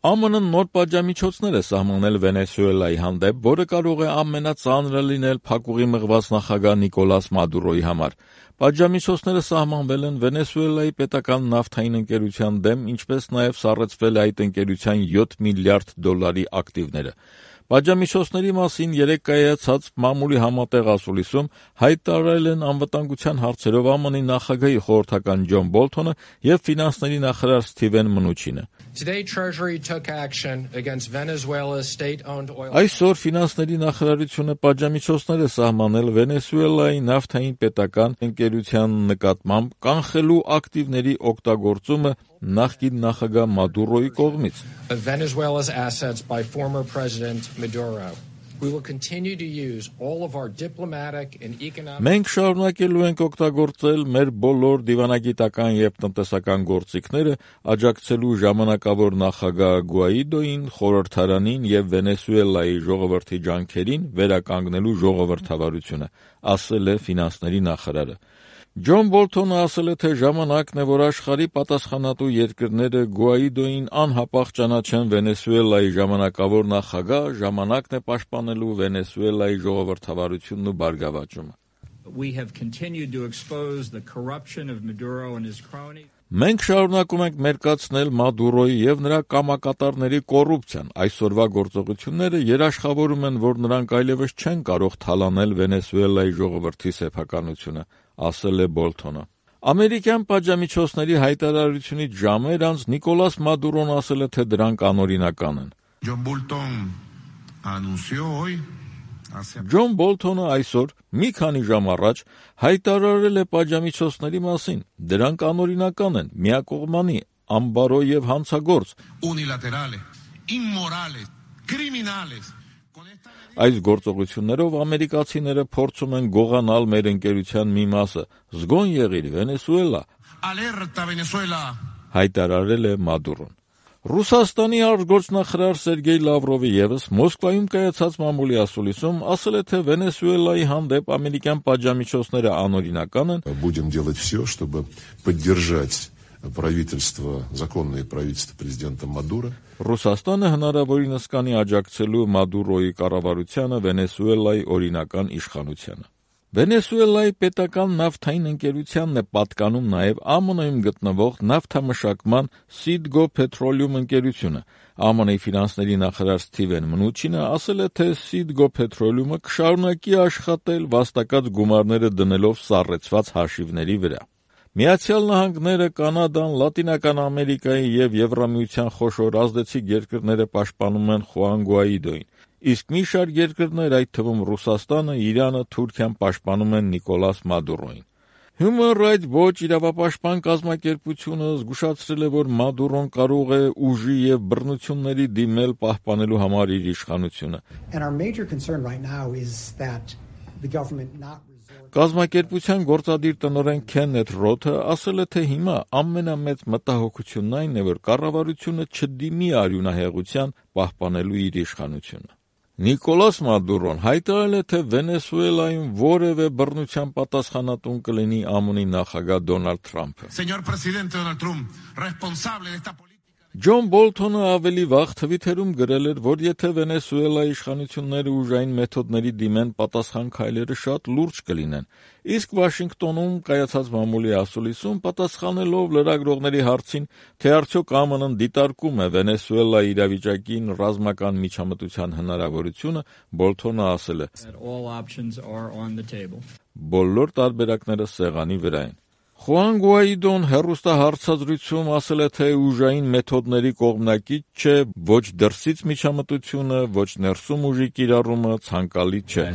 ԱՄՆ-ն նոր պատժամիջոցներ է սահմանել Վենեսուելայի հանդեպ, որը կարող է ամենածանրը լինել փակուղի մղված նախագահ Նիկոլաս Մադուրոյի համար։ Պատժամիջոցները սահմանվել են Վենեսուելայի պետական նավթային ընկերության դեմ, ինչպես նաև սառեցվել է այդ ընկերության $7 միլիարդ ակտիվները։ Պատժամիջոցների մասին երեկ կայացած մամուլի համատեղ ասուլիսում հայտարարել են անվտանգության հարցերով ԱՄՆ-ի նախագահի խորհրդական Ջոն Բոլթոնը և ֆինանսների նախարար Սթիվեն Մնուչինը։ Այսօր ֆինանսների նախարարությունը պատժամիջոցներ է սահմանել Վենեսուելայի նավթային պետական ընկերության նկատմամբ կանխելու ակտիվների օգտագործումը նախկին նախագահ Մադուրոյի կողմից։ Մենք շարունակելու ենք օգտագործել մեր բոլոր դիվանագիտական և տնտեսական գործիքները աջակցելու ժամանակավոր նախագահ Գուաիդոյին, խորհրդարանին և Վենեսուելայի ժողովրդի ջանքերին վերականգնելու ժողովրդավարությունը, ասել է ֆինանսների նախարարը։ Ջոն Բոլթոնը ասել է, թե ժամանակն է, որ աշխարհի պատասխանատու երկրները Գուաիդոյին անհապաղ ճանաչեն Վենեսուելայի ժամանակավոր նախագահ, ժամանակն է պաշտպանելու Վենեսուելայի ժողովրդավարությունն ու բարգավաճումը։ Մենք շարունակում ենք մերկացնել Մադուրոյի և նրա կամակատարների կոռուպցիան։ Այսօրվա գործողությունները երաշխավորում են, որ նրանք այլևս չեն կարող թալանել Վենեսուելայի ժողովրդի սեփականությունը, ասել է Բոլթոնը։ Ամերիկյան պատժամիջոցների հայտարարությունից ժամեր անց Նիկոլաս Մադուրոն ասել է, թե դրանք անօրինական են։ Ջոն Բոլթոնը այսօր մի քանի ժամ առաջ հայտարարել է պատժամիջոցների մասին։ Դրանք անօրինական են, միակողմանի, անբարո և հանցագործ։ Այս գործողություններով ամերիկացիները փորձում են գողանալ մեր ընկերության մի մասը։ Զգոն եղիր, Վենեսուելա, հայտարարել է Մադուրոն։ Ռուսաստանի արտգործնախարար Սերգեյ Լավրովը ևս Մոսկվայում կայացած մամուլի ասուլիսում ասել է, թե Վենեսուելայի հանդեպ ամերիկյան պատժամիջոցները անօրինական են։ Будем делать все, чтобы поддержать законное правительство президента Мадуро։ Ռուսաստանը հնարավորինս կանի աջակցելու Մադուրոյի կառավարությանը Վենեսուելայի օրինական իշխանությանը։ Վենեսուելայի պետական նավթային ընկերությանն է պատկանում նաև ԱՄՆ-ում գտնվող նավթամշակման Citgo Petroleum ընկերությունը։ ԱՄՆ-ի ֆինանսների նախարար Սթիվեն Մնուչինը ասել է, թե Citgo Petroleum-ը կշարունակի աշխատել վաստակած գումարները դնելով սառեցված հաշիվների վրա։ Միացյալ Նահանգները, Կանադան, Լատինական Ամերիկայի և Եվրամիության խոշոր ազդեցիկ երկրները պաշտպանում են Խուան Գուաիդոյին, իսկ մի շարք երկրներ, այդ թվում Ռուսաստանը, Իրանը, Թուրքիան պաշտպանում են Նիկոլաս Մադուրոյին։ Human Rights Watch իրավապաշտպան կազմակերպությունը զգուշացրել է, որ Մադուրոն կարող է ուժի և բռնությունների դիմել պահպանելու համար իր իշխանությունը։ Կազմակերպության գործադիր տնօրեն Քեննեթ Ռոթը ասել է, թե հիմա ամենամեծ մտահոգությունն այն է, որ կառավարությունը չդիմի արյունահեղության պահպանելու իր իշխանությունը։ Նիկոլաս Մադուրոն հայտարարել է, թե Վենեսուելայում որևէ բռնության պատասխանատուն կլինի ԱՄՆ-ի նախագահ Դոնալդ Թրամփը։ Ջոն Բոլթոնը ավելի վաղ Թվիթերում գրել էր, որ եթե Վենեսուելայի իշխանությունները ուժային մեթոդների դիմեն, պատասխան քայլերը շատ լուրջ կլինեն, իսկ Վաշինգտոնում կայացած մամուլի ասուլիսում պատասխանելով լրագրողների հարցին, թե արդյոք ԱՄՆ-ն դիտարկում է Վենեսուելայի իրավիճակին ռազմական միջամտության հնարավորությունը, Բոլթոնը ասել է. Բոլոր տարբերակները սեղանի վրա են։ Խուան Գուաիդոն հեռուստահարցազրույցում ասել է, թե ուժային մեթոդների կողմնակից չէ, ոչ դրսից միջամտությունը, ոչ ներսում ուժի կիրառումը ցանկալի չէ։